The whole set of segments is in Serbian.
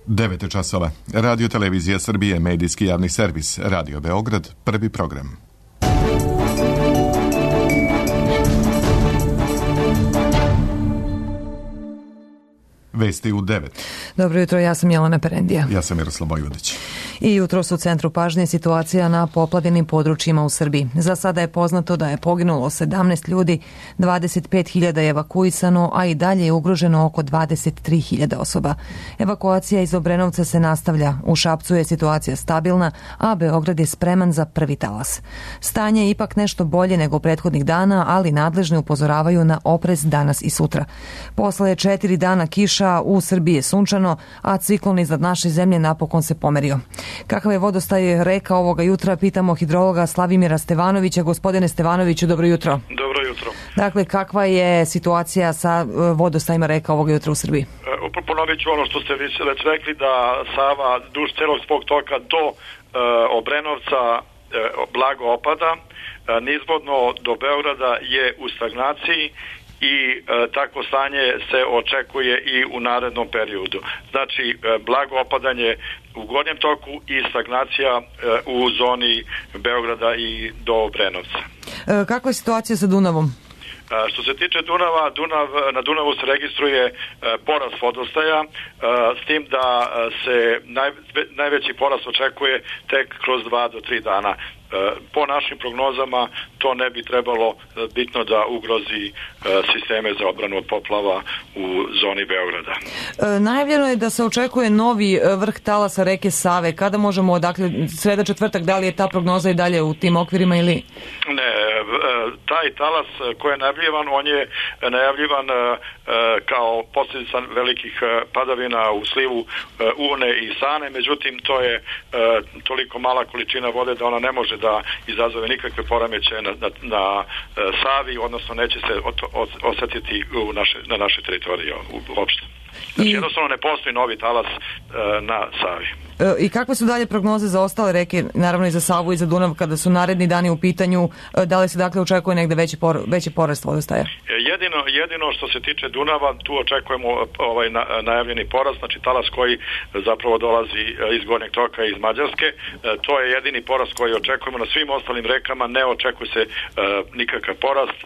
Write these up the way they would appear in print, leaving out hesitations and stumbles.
9 časova. Radio Televizija Srbije, medijski javni servis, Radio Beograd, prvi program. Vesti u 9. Dobro jutro, ja sam Jelena Perendija. Ja sam Miroslav Vojvodić. I jutros u centru pažnje situacija na poplavljenim područjima u Srbiji. Za sada je poznato da je poginulo 17 ljudi, 25.000 je evakuisano, a i dalje je ugroženo oko 23.000 osoba. Evakuacija iz Obrenovca se nastavlja. U Šapcu je situacija stabilna, a Beograd je spreman za prvi talas. Stanje je ipak nešto bolje nego prethodnih dana, ali nadležni upozoravaju na oprez danas i sutra. Posle 4 dana kiša u Srbiji je sunčano, a ciklon iznad naše zemlje napokon se pomerio. Kakav je vodostaj reka ovoga jutra, pitamo hidrologa Slavimira Stevanovića. Gospodine Stevanoviću, dobro jutro. Dobro jutro. Dakle, kakva je situacija sa vodostajima reka ovoga jutra u Srbiji? Ponovit ću ono što ste već rekli, da Sava duž celog svog toka do Obrenovca blago opada. Nizvodno do Beograda je u stagnaciji i takvo stanje se očekuje i u narednom periodu. Znači, blago opadanje u gornjem toku i stagnacija u zoni Beograda i do Obrenovca. Kakva je situacija sa Dunavom? Što se tiče Dunava, na Dunavu se registruje porast vodostaja, s tim da se najveći porast očekuje tek kroz 2 do 3 dana. Po našim prognozama to ne bi trebalo bitno da ugrozi sisteme za odbranu od poplava u zoni Beograda. Najavljeno je da se očekuje novi vrh talasa reke Save. Kada možemo, dakle, sreda četvrtak, da li je ta prognoza i dalje u tim okvirima ili? Ne, taj talas koji je najavljivan, on je najavljivan kao posljedica velikih padavina u slivu Une i Sane, međutim to je toliko mala količina vode da ona ne može da izazove nikakve poremećaje na Savi, odnosno neće se osetiti na našoj teritoriji uopšte. Znači jednostavno ne postoji novi talas na Savi. I kakve su dalje prognoze za ostale reke, naravno i za Savu i za Dunav, kada su naredni dani u pitanju? Da li se dakle očekuje negde veći porast vodostaja? Jedino što se tiče Dunava, tu očekujemo najavljeni porast, znači talas koji zapravo dolazi iz gornjeg toka iz Mađarske. To je jedini porast koji očekujemo. Na svim ostalim rekama ne očekuje se nikakav porast,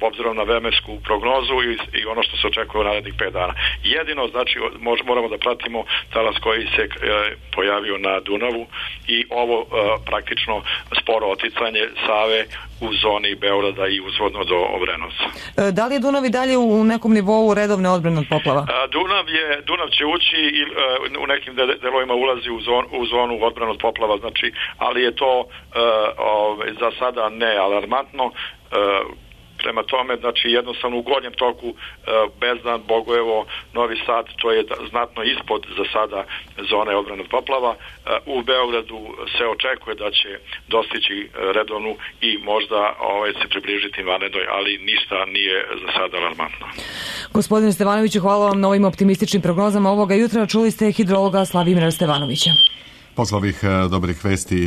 obzirom na vremensku prognozu i ono što se očekuje u narednih 5 dana. Jedino, znači, moramo da pratimo talas koji se pojavio na Dunavu i ovo praktično sporo oticanje Save u zoni Beograda i uzvodno do Obrenovca. Da li je Dunav i dalje u nekom nivou redovne odbrane od poplava? Dunav će ući i u nekim delovima ulazi u zonu odbrane od poplava, znači, ali je to za sada ne alarmantno. Prema tome, znači jednostavno u gornjem toku Bezdan, Bogojevo, Novi Sad, to je znatno ispod za sada zone odbrane od poplava. U Beogradu se očekuje da će dostići redovnu i možda se približiti vanrednoj, ali ništa nije za sada alarmantno. Gospodine Stevanoviću, hvala vam na ovim optimističnim prognozama ovoga jutra. Čuli ste hidrologa Slavimira Stevanovića. Posle ovih dobrih vesti,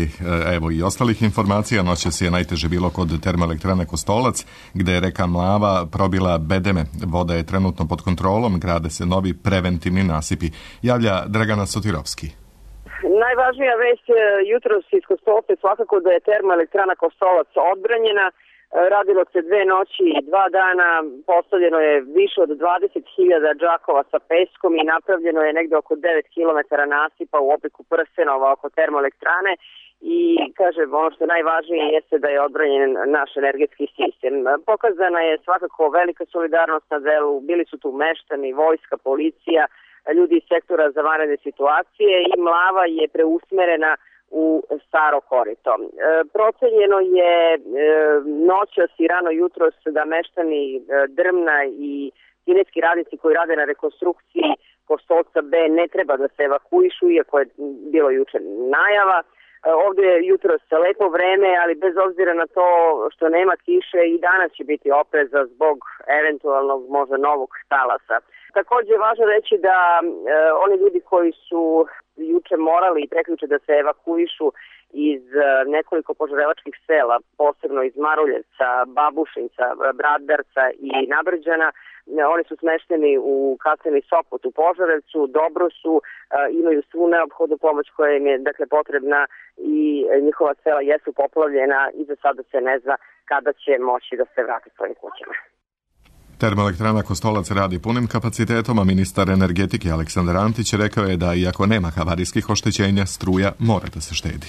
evo i ostalih informacija, noćas je najteže bilo kod termoelektrane Kostolac, gde je reka Mlava probila bedeme. Voda je trenutno pod kontrolom, grade se novi preventivni nasipi. Javlja Dragana Sotirovski. Najvažnija vest jutros iz Kostolca je svakako da je termoelektrana Kostolac odbranjena. Radilo se 2 noći i 2 dana, postavljeno je više od 20.000 džakova sa peskom i napravljeno je negde oko 9 km nasipa u obliku prstenova oko termoelektrane i, kažem, ono što je najvažnije jeste da je odbranjen naš energetski sistem. Pokazana je svakako velika solidarnost na delu, bili su tu meštani, vojska, policija, ljudi iz sektora za vanredne situacije i Mlava je preusmerena u Staro korito. Procenjeno je noćas i rano jutros da meštani Drmna i kineski radnici koji rade na rekonstrukciji Kostolca B ne treba da se evakuišu, iako je bilo juče najava. Ovdje je jutros lepo vreme, ali bez obzira na to što nema kiše i danas će biti opreza zbog eventualnog možda novog talasa. Također je važno reći da oni ljudi koji su juče morali i prekjuče da se evakuišu iz nekoliko požarevačkih sela, posebno iz Maruljevca, Babušinca, Braddarca i Nabrđana, Oni su smešteni u kasarni Sopot u Požarevcu, dobro su, imaju svu neophodnu pomoć koja im je dakle potrebna i njihova sela jesu poplavljena i za sada se ne zna kada će moći da se vrate svojim kućama. Termoelektrana Kostolac radi punim kapacitetom, a ministar energetike Aleksandar Antić rekao je da iako nema havarijskih oštećenja, struja mora da se štedi.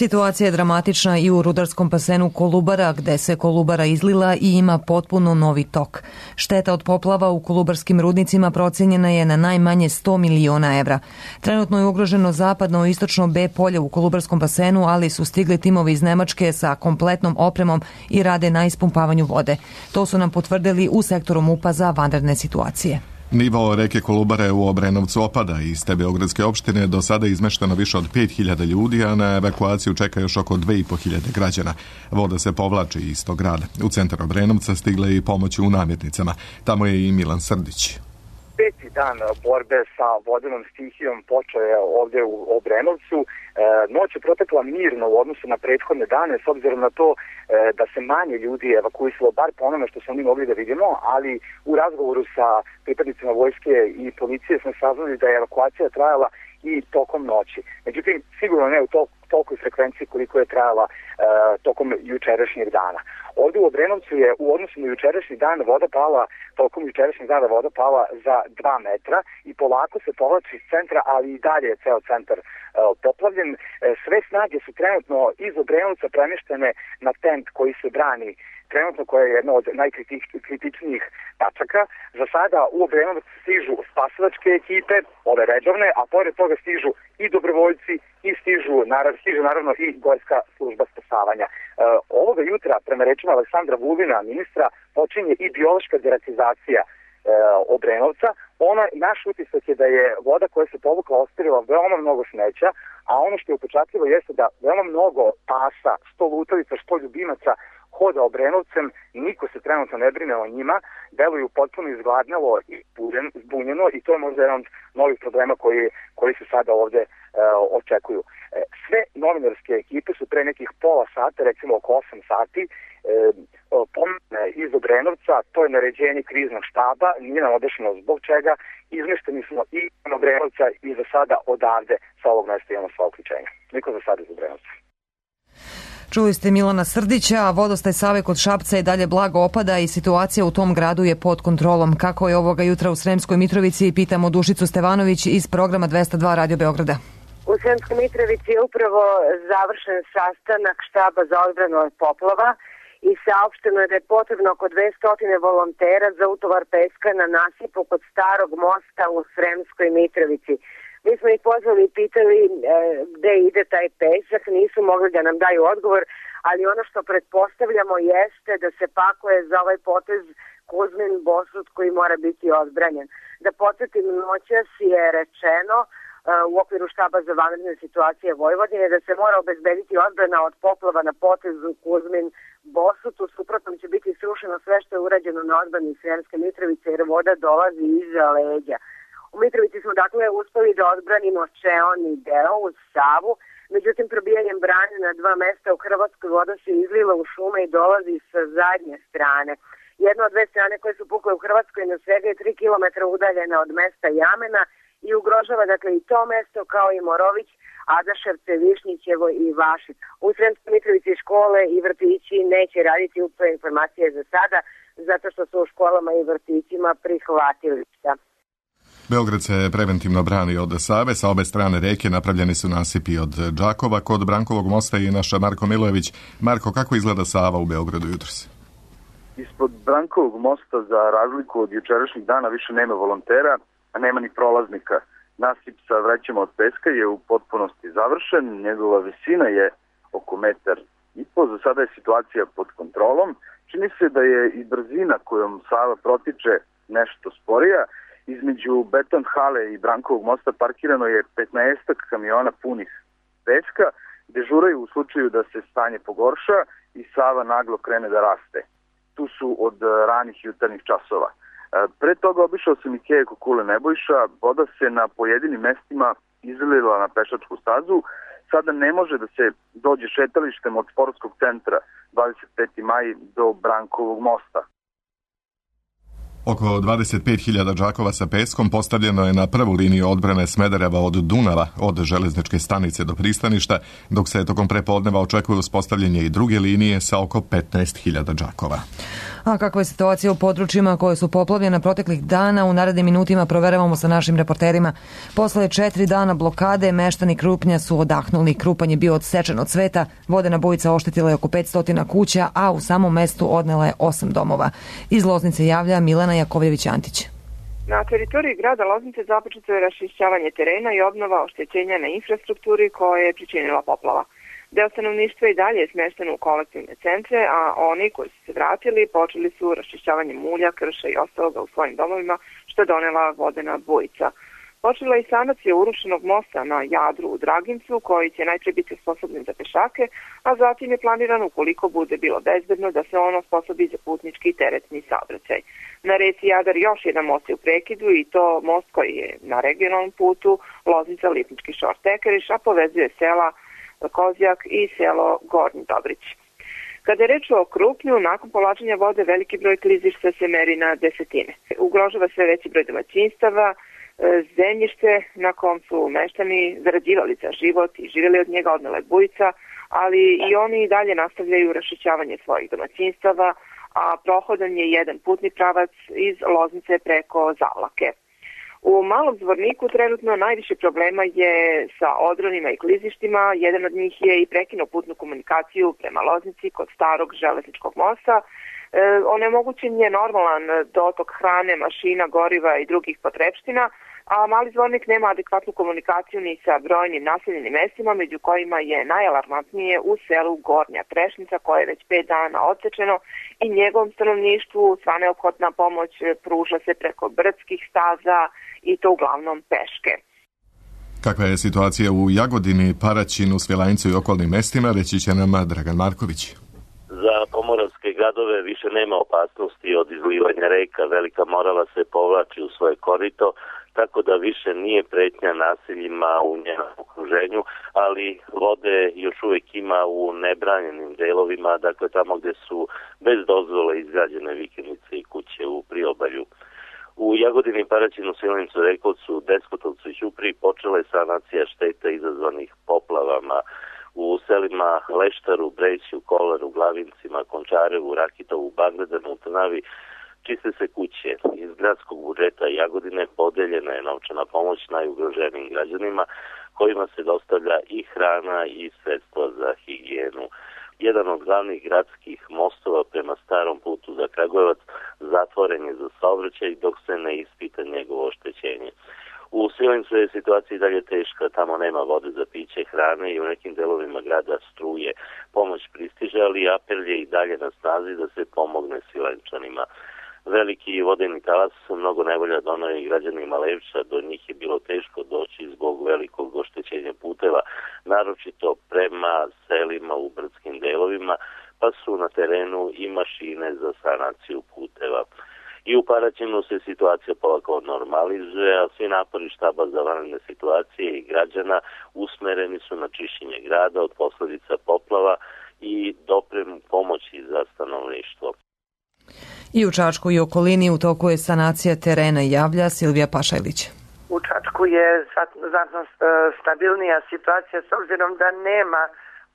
Situacija je dramatična i u rudarskom basenu Kolubara, gde se Kolubara izlila i ima potpuno novi tok. Šteta od poplava u kolubarskim rudnicima procenjena je na najmanje 100 miliona evra. Trenutno je ugroženo zapadno i istočno B polje u kolubarskom basenu, ali su stigli timovi iz Nemačke sa kompletnom opremom i rade na ispumpavanju vode. To su nam potvrdili u sektoru MUP-a za vanredne situacije. Nivo reke Kolubare u Obrenovcu opada. Iz te beogradske opštine do sada je izmešteno više od 5.000 ljudi, a na evakuaciju čeka još oko 2.500 građana. Voda se povlači iz tog grada. U centar Obrenovca stigle i pomoći u namirnicama. Tamo je i Milan Srdić. Peti dan borbe sa vodenom stihijom počeo je ovdje u Obrenovcu. Noć je protekla mirno u odnosu na prethodne dane, s obzirom na to da se manje ljudi evakuisalo, bar po onome što smo mi mogli da vidimo, ali u razgovoru sa pripadnicima vojske i policije smo saznali da je evakuacija trajala i tokom noći. Međutim, sigurno ne u tolikoj frekvenciji koliko je trajala tokom jučerašnjeg dana. Ovdje u Obrenovcu je u odnosu na jučerašnji dan tokom jučerašnjeg dana voda pala za 2 metra i polako se povlači iz centra, ali i dalje je ceo centar poplavljen. Sve snage su trenutno iz Obrenovca premještene na tent koji se brani trenutno, koja je jedna od najkritičnijih tačaka. Za sada u Obrenovac stižu spasilačke ekipe, ove redovne, a pored toga stižu i dobrovoljci i stiže naravno i gorska služba spasavanja. Ovoga jutra, prema rečima Aleksandra Vulina, ministra, počinje i biološka deratizacija Obrenovca. Naš utisak je da je voda koja se povukla ostavila veoma mnogo smeća, a ono što je upečatljivo jeste da veoma mnogo pasa, što lutalica, što ljubimaca hoda Obrenovcem, niko se trenutno ne brine o njima, deluju potpuno izgladnjalo i zbunjeno i to je možda jedan od novih problema koji se sada ovdje očekuju. Sve novinarske ekipe su pre nekih pola sata, recimo oko 8 sati, pomene iz Obrenovca, to je naređenje kriznog štaba, nije nam objašnjeno zbog čega, izmešteni smo i iz Obrenovca i za sada odavde sa ovog mesta imamo sva uključenja. Niko za sada iz Obrenovca. Čuli ste Milana Srdića, a vodostaj Save kod Šapca je dalje blago opada i situacija u tom gradu je pod kontrolom. Kako je ovoga jutra u Sremskoj Mitrovici, pitamo Dušicu Stevanović iz programa 202 Radio Beograda. U Sremskoj Mitrovici je upravo završen sastanak štaba za odbranu od poplava i saopšteno je da je potrebno oko 200 volontera za utovar peska na nasipu kod starog mosta u Sremskoj Mitrovici. Mi smo ih pozvali i pitali gde ide taj pesak, nisu mogli da nam daju odgovor, ali ono što pretpostavljamo jeste da se pakuje za ovaj potez Kuzmin Bosut koji mora biti odbranjen. Da podsjetim, noćas je rečeno u okviru štaba za vanredne situacije Vojvodine da se mora obezbediti odbrana od poplava na potezu Kuzmin Bosut, u suprotnom će biti srušeno sve što je urađeno na odbrani Sremske Mitrovice jer voda dolazi iza leđa. U Mitrovici smo dakle uspeli da odbranimo čeoni deo uz Savu, međutim probijanjem brane na 2 mesta u Hrvatskoj voda se izlila u šume i dolazi sa zadnje strane. Jedna od 2 strane koje su pukle u Hrvatskoj na svega je 3 km udaljena od mesta Jamena i ugrožava dakle i to mesto kao i Morović, Adaševce, Višnjićevo i Vašić. U Sremskoj Mitrovici škole i vrtići neće raditi upravo informacije za sada, zato što su u školama i vrtićima prihvatilišta. Beograd se preventivno brani od Save, sa obe strane reke napravljeni su nasipi od Đakova, kod Brankovog mosta i naša Marko Milojević. Marko, kako izgleda Sava u Beogradu jutros? Ispod Brankovog mosta, za razliku od jučerašnjih dana, više nema volontera, a nema ni prolaznika. Nasip sa vrećama od peska je u potpunosti završen, njegova visina je oko 1,5 m. Za sada je situacija pod kontrolom. Čini se da je i brzina kojom Sava protiče nešto sporija. Između Beton hale i Brankovog mosta parkirano je 15 kamiona punih peska, dežuraju u slučaju da se stanje pogorša i Sava naglo krene da raste. Tu su od ranih jutarnjih časova. Pre toga obišao sam i Keje Kukule Nebojša, voda se na pojedinim mestima izlila na pešačku stazu, sada ne može da se dođe šetalištem od sportskog centra 25. maj do Brankovog mosta. Oko 25.000 džakova sa peskom postavljeno je na prvu liniju odbrane Smedereva od Dunava, od železničke stanice do pristaništa, dok se tokom prepodneva očekuje uspostavljanje i druge linije sa oko 15.000 džakova. A kakva je situacija u područjima koje su poplavljene proteklih dana, u narednim minutima proveravamo sa našim reporterima. Posle 4 dana blokade, meštani Krupnja su odahnuli. Krupanj je bio odsečen od sveta, vodena bujica oštetila je oko 500 kuća, a u samom mestu odnela je 8 domova. Iz Loznice javlja Milana Jakovljević-Antić. Na teritoriji grada Loznice započeto je raščišćavanje terena i obnova oštećenja na infrastrukturi koje je pričinila poplava. Deo stanovništva i dalje je smešten u kolektivne centre, a oni koji su se vratili počeli su raščišćavanje mulja, krša i ostaloga u svojim domovima, što je donela vodena bujica. Počela je i sanacija urušenog mosta na Jadru u Dragincu, koji će najpre biti sposobni za pešake, a zatim je planiran, ukoliko bude bilo bezbedno, da se ono sposobi za putnički i teretni saobraćaj. Na reci Jadar još jedan most je u prekidu i to most koji je na regionalnom putu Loznica-Lipnički Šor-Tekeriš, a povezuje sela Kozjak i selo Gornji Dobrić. Kada je reč o Krupnju, nakon povlačenja vode veliki broj klizišta se meri na desetine. Ugrožava sve veći broj domaćinstava, zemljište na kom su meštani zarađivali za život i živjeli od njega, odnela je bujica, ali i oni i dalje nastavljaju raščišćavanje svojih domaćinstava, a prohodan je jedan putni pravac iz Loznice preko Zavlake. U Malom Zvorniku trenutno najviše problema je sa odronima i klizištima. Jedan od njih je i prekinuo putnu komunikaciju prema Loznici kod starog železničkog mosta. Onemogućen je normalan dotok hrane, mašina, goriva i drugih potrepština, a Mali Zvornik nema adekvatnu komunikaciju ni sa brojnim naseljenim mestima, među kojima je najalarmantnije u selu Gornja Trešnica, koje je već 5 dana odsečeno i njegovom stanovništvu sva neophodna pomoć pruža se preko brdskih staza i to uglavnom peške. Kakva je situacija u Jagodini, Paraćinu, Svilajncu i okolnim mestima, reći će nam Dragan Marković. Za pomoravske gradove više nema opasnosti od izlivanja reka, Velika Morava se povlači u svoje korito, tako da više nije pretnja naseljima u njenom okruženju, ali vode još uvijek ima u nebranjenim delovima, dakle tamo gdje su bez dozvole izgrađene vikendice i kuće u priobalju. U Jagodini, Paraćinu, Svilajncu, Rekovcu, Despotovcu i Ćupriji počela je sanacija šteta izazvanih poplavama. U selima Leštaru, Breću, Kolaru, Glavincima, Končarevu, Rakitovu, Bagledanu, Trnavi čiste se kuće. Iz gradskog budžeta Jagodine podeljena je novčana pomoć najugroženijim građanima, kojima se dostavlja i hrana i sredstva za higijenu. Jedan od glavnih gradskih mostova prema starom putu za Kragujevac zatvoren je za saobraćaj dok se ne ispita njegovo oštećenje. U Svilajncu je situacija i dalje teška, tamo nema vode za piće, hrane i u nekim delovima grada struje. Pomoć pristiže, ali apel je i dalje na snazi da se pomogne Svilajnčanima. Veliki vodeni talas mnogo nevolja donao i građanima Levča, do njih je bilo teško doći zbog velikog oštećenja puteva, naročito prema selima u brdskim delovima, pa su na terenu i mašine za sanaciju puteva. I u Paraćinu se situacija polako normalizuje, a svi napori štaba za vanredne situacije i građana usmereni su na čišćenje grada od posljedica poplava i dopremu pomoći za stanovništvo. I u Čačku i okolini u toku je sanacija terena, javlja Silvija Pašajlić. U Čačku je znatno stabilnija situacija s obzirom da nema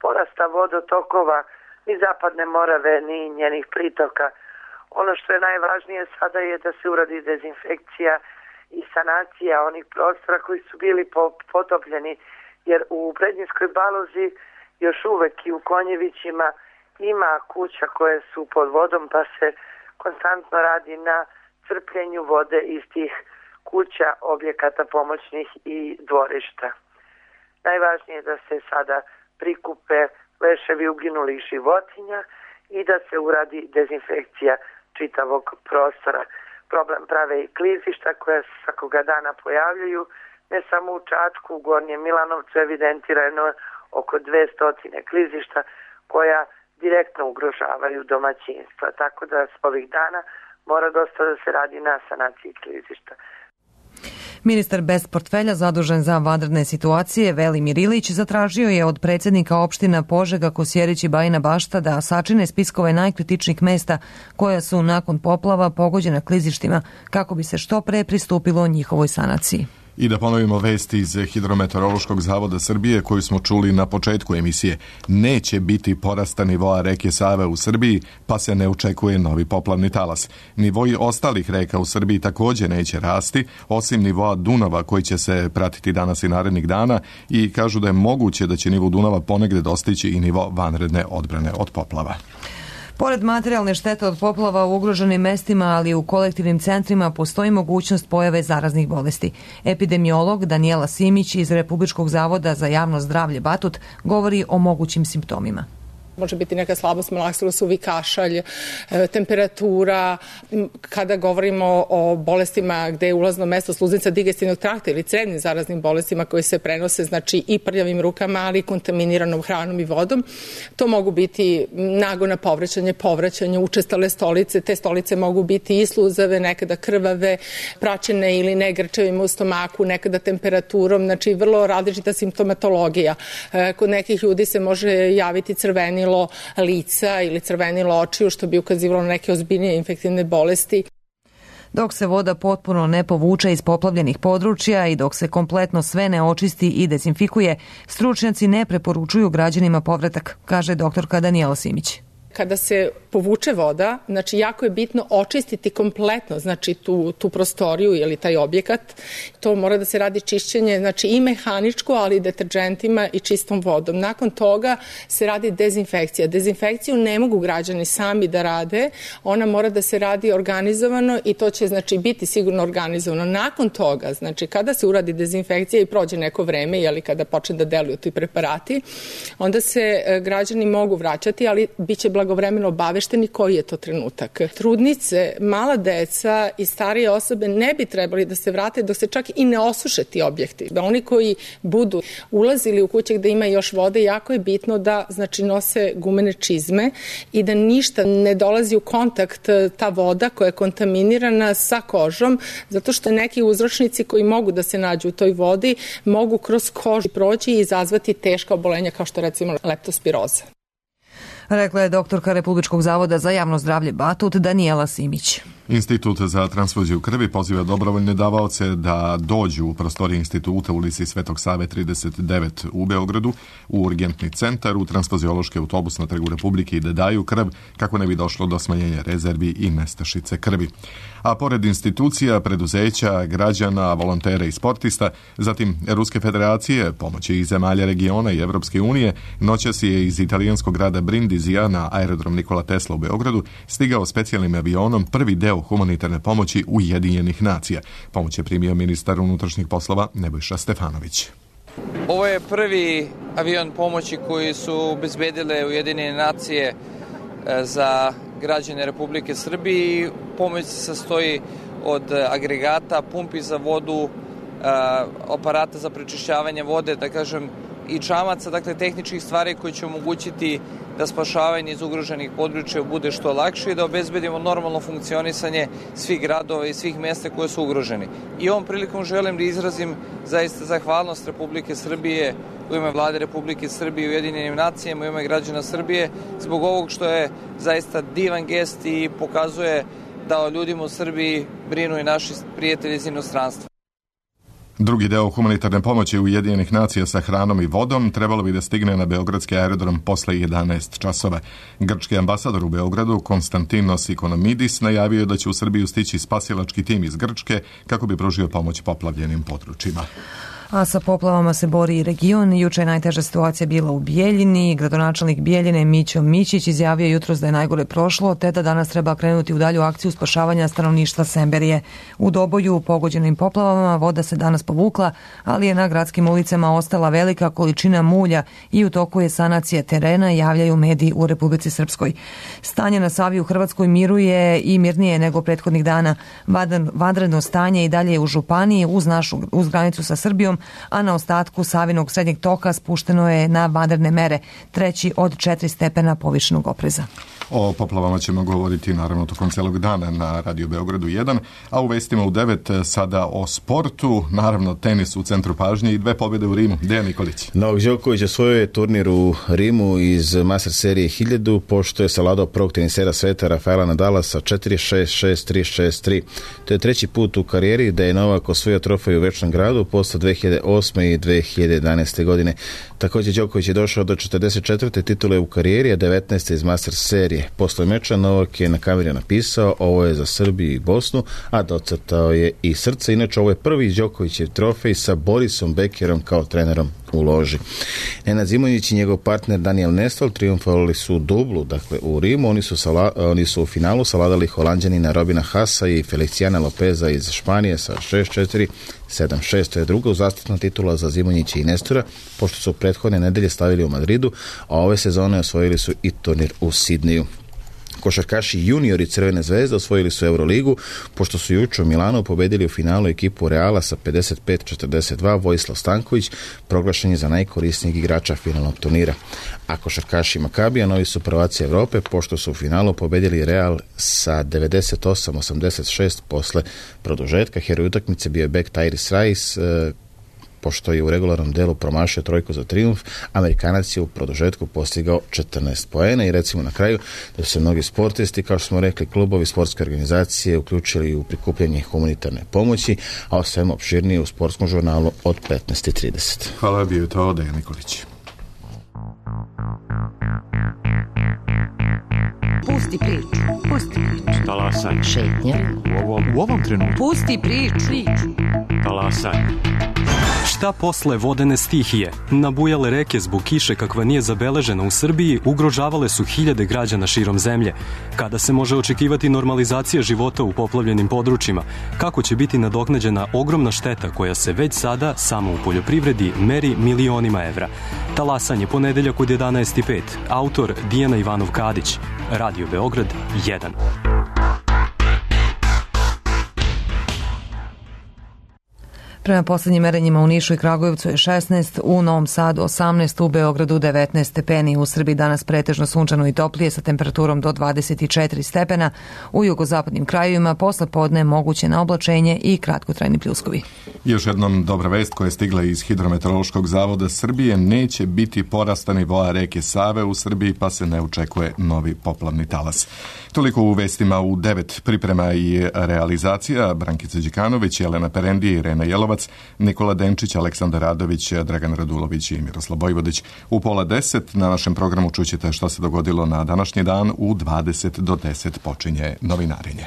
porasta vodotokova ni Zapadne Morave ni njenih pritoka. Ono što je najvažnije sada je da se uradi dezinfekcija i sanacija onih prostora koji su bili potopljeni, jer u Prednjinskoj Balozi još uvek i u Konjevićima ima kuća koje su pod vodom, pa se konstantno radi na crpljenju vode iz tih kuća, objekata pomoćnih i dvorišta. Najvažnije je da se sada prikupe leševi uginulih životinja i da se uradi dezinfekcija čitavog prostora. Problem prave i klizišta koja se svakoga dana pojavljaju, ne samo u Čačku, u Gornjem Milanovcu evidentirano oko 200 klizišta koja direktno ugrožavaju domaćinstva. Tako da s ovih dana mora dosta da se radi na sanaciji klizišta. Ministar bez portfelja zadužen za vanredne situacije Velimir Ilić zatražio je od predsjednika opština Požega, Kosjerić i Bajina Bašta da sačine spiskove najkritičnijih mesta koja su nakon poplava pogođena klizištima kako bi se što pre pristupilo njihovoj sanaciji. I da ponovimo vesti iz Hidrometeorološkog zavoda Srbije koju smo čuli na početku emisije. Neće biti porasta nivoa reke Save u Srbiji, pa se ne očekuje novi poplavni talas. Nivoji ostalih reka u Srbiji također neće rasti, osim nivoa Dunava koji će se pratiti danas i narednih dana i kažu da je moguće da će nivo Dunava ponegde dostići i nivo vanredne odbrane od poplava. Pored materijalne štete od poplava u ugroženim mestima, ali i u kolektivnim centrima, postoji mogućnost pojave zaraznih bolesti. Epidemiolog Danijela Simić iz Republičkog zavoda za javno zdravlje Batut govori o mogućim simptomima. Može biti neka slabost malaksila, suvi kašalj, temperatura. Kada govorimo o bolestima gde je ulazno mesto sluznica digestivnog trakta ili crednim zaraznim bolestima koje se prenose, znači i prljavim rukama, ali i kontaminiranom hranom i vodom, to mogu biti nagona povraćanje, učestale stolice. Te stolice mogu biti i sluzave, nekada krvave, praćene ili ne grčevima u stomaku, nekada temperaturom, znači vrlo različita simptomatologija. Kod nekih ljudi se može javiti crvenilo lica ili crvenilo očiju, što bi ukazivalo na neke ozbiljnije infektivne bolesti. Dok se voda potpuno ne povuče iz poplavljenih područja i dok se kompletno sve ne očisti i dezinfikuje, stručnjaci ne preporučuju građanima povratak, kaže doktorka Danijela Simić. Kada se povuče voda, znači jako je bitno očistiti kompletno, znači tu prostoriju ili taj objekat. To mora da se radi čišćenje, znači i mehaničko, ali i deterđentima i čistom vodom. Nakon toga se radi dezinfekcija. Dezinfekciju ne mogu građani sami da rade, ona mora da se radi organizovano i to će znači biti sigurno organizovano. Nakon toga, znači kada se uradi dezinfekcija i prođe neko vreme, ili kada počne da deluju ti preparati, onda se građani mogu vraćati, ali biće blagovremeno obavešteni koji je to trenutak. Trudnice, mala deca i starije osobe ne bi trebali da se vrate dok se čak i ne osuše ti objekti. Da oni koji budu ulazili u kuće gde ima još vode, jako je bitno da znači nose gumene čizme i da ništa ne dolazi u kontakt ta voda koja je kontaminirana sa kožom, zato što neki uzročnici koji mogu da se nađu u toj vodi mogu kroz kožu proći i izazvati teška obolenja kao što recimo leptospiroza. Rekla je doktorka Republičkog zavoda za javno zdravlje Batut Danijela Simić. Institut za transfuziju krvi poziva dobrovoljne davaoce da dođu u prostorije instituta u ulici Svetog Save 39 u Beogradu u urgentni centar u transfuziološki autobus na Trgu Republike i da daju krv kako ne bi došlo do smanjenja rezervi i nestašice krvi. A pored institucija, preduzeća, građana, volontera i sportista, zatim Ruske federacije, pomoći iz zemalja regiona i Evropske unije, noćas je iz italijanskog grada Brindizija na aerodrom Nikola Tesla u Beogradu stigao specijalnim avionom prvi deo humanitarne pomoći Ujedinjenih nacija. Pomoć je primio ministar unutrašnjih poslova Nebojša Stefanović. Ovo je prvi avion pomoći koji su obezbedile Ujedinjene nacije za građane Republike Srbije. Pomoć se sastoji od agregata, pumpi za vodu, aparata za prečišćavanje vode, da kažem, i čamaca, dakle tehničkih stvari koji će omogućiti da spašavanje iz ugroženih područja bude što lakše i da obezbedimo normalno funkcionisanje svih gradova i svih mesta koje su ugroženi. I ovom prilikom želim da izrazim zaista zahvalnost Republike Srbije u ime Vlade Republike Srbije i Ujedinjenim nacijama, u ime građana Srbije, zbog ovog što je zaista divan gest i pokazuje da o ljudima u Srbiji brinu i naši prijatelji iz inostranstva. Drugi deo humanitarne pomoći Ujedinjenih nacija sa hranom i vodom trebalo bi da stigne na beogradski aerodrom posle 11 časova. Grčki ambasador u Beogradu, Konstantinos Ikonomidis, najavio da će u Srbiju stići spasilački tim iz Grčke kako bi pružio pomoć poplavljenim područjima. A sa poplavama se bori i region. Juče je najteža situacija bila u Bijeljini. Gradonačelnik Bijeljine Mićo Mićić izjavio jutros da je najgore prošlo, te da danas treba krenuti u dalju akciju spašavanja stanovništva Semberije. U Doboju pogođenim poplavama voda se danas povukla, ali je na gradskim ulicama ostala velika količina mulja i u toku je sanacija terena, javljaju mediji u Republici Srpskoj. Stanje na Savi u Hrvatskoj miruje i mirnije nego prethodnih dana. Vanredno stanje i dalje je u Županiji uz granicu sa Srbijom, a na ostatku Savinog srednjeg toka spušteno je na vanredne mere, treći od 4 stepena povišenog opreza. O poplavama ćemo govoriti naravno tokom celog dana na Radio Beogradu 1, a u vestima u 9 sada o sportu, naravno tenis u centru pažnje i 2 pobjede u Rimu. Dejan Nikolić. Novak Đoković osvojio je turnir u Rimu iz Master serije 1000, pošto je savladao prvog tenisera sveta Rafaela Nadala sa 4-6, 6-3, 6-3. To je treći put u karijeri da je Novak osvojio trofej u Večnom gradu posle 2008. i 2011. godine. Također Đoković je došao do 44. titule u karijeri, a 19. iz Master serije. Posle meča Novak je na kameri napisao: ovo je za Srbiju i Bosnu, a docrtao je i srce. Inače, ovo je prvi Đokovićev trofej sa Borisom Bekerom kao trenerom u loži. Nenad Zimonjić i njegov partner Daniel Nestol triumfovali su u dublu, dakle u Rimu. Oni su u finalu savladali Holanđanina Robina Haasa i Feliciana Lopeza iz Španije sa 6-4, 7-6. To je druga uzastopna titula za Zimonjića i Nestora, pošto su prethodne nedelje stavili u Madridu, a ove sezone osvojili su i turnir u Sidniju. Košarkaši juniori Crvene zvezde osvojili su Euroligu, pošto su juče u Milanu pobedili u finalu ekipu Reala sa 55-42. Vojislav Stanković proglašen je za najkorisnijeg igrača finalnog turnira. A košarkaši Makabija novi su prvaci Evrope, pošto su u finalu pobedili Real sa 98-86 posle produžetka. Heroj utakmice bio je bek Tyrese Rice, pošto je u regularnom delu promašio trojku za trijumf. Amerikanac je u produžetku postigao 14 poena i recimo na kraju da su se mnogi sportisti, kao što smo rekli, klubovi, sportske organizacije uključili u prikupljanje humanitarne pomoći, a o svemu opširnije u sportskom žurnalu od 15:30. Hvala, bio je to Dejan Nikolić. Pusti priču, pusti priču. Talasaj. Šetnja. U ovom trenutku. Pusti priču. Talasaj. Šta posle vodene stihije? Nabujale reke zbog kiše kakva nije zabeležena u Srbiji ugrožavale su hiljade građana širom zemlje. Kada se može očekivati normalizacija života u poplavljenim područjima? Kako će biti nadoknađena ogromna šteta koja se već sada samo u poljoprivredi meri milionima evra? Talasanje ponedeljak od 11:05. Autor Dijana Ivanov-Kadić. Radio Beograd 1. Prema poslednjim merenjima u Nišu i Kragujevcu je 16, u Novom Sadu 18, u Beogradu 19 stepeni. U Srbiji danas pretežno sunčano i toplije sa temperaturom do 24 stepena. U jugozapadnim krajevima posle podne moguće na oblačenje i kratkotrajni pljuskovi. Još jednom dobra vest koja je stigla iz Hidrometeorološkog zavoda Srbije: neće biti porasta nivoa reke Save u Srbiji, pa se ne očekuje novi poplavni talas. Toliko u vestima u 9. Priprema i realizacija: Brankica Đikanović, Jelena Perendi, Irena Jelovac, Nikola Denčić, Aleksandar Radović, Dragan Radulović i Miroslav Bojvodić. U 9:30 na našem programu čućete šta se dogodilo na današnji dan. U 20 do 10 počinje novinarenje.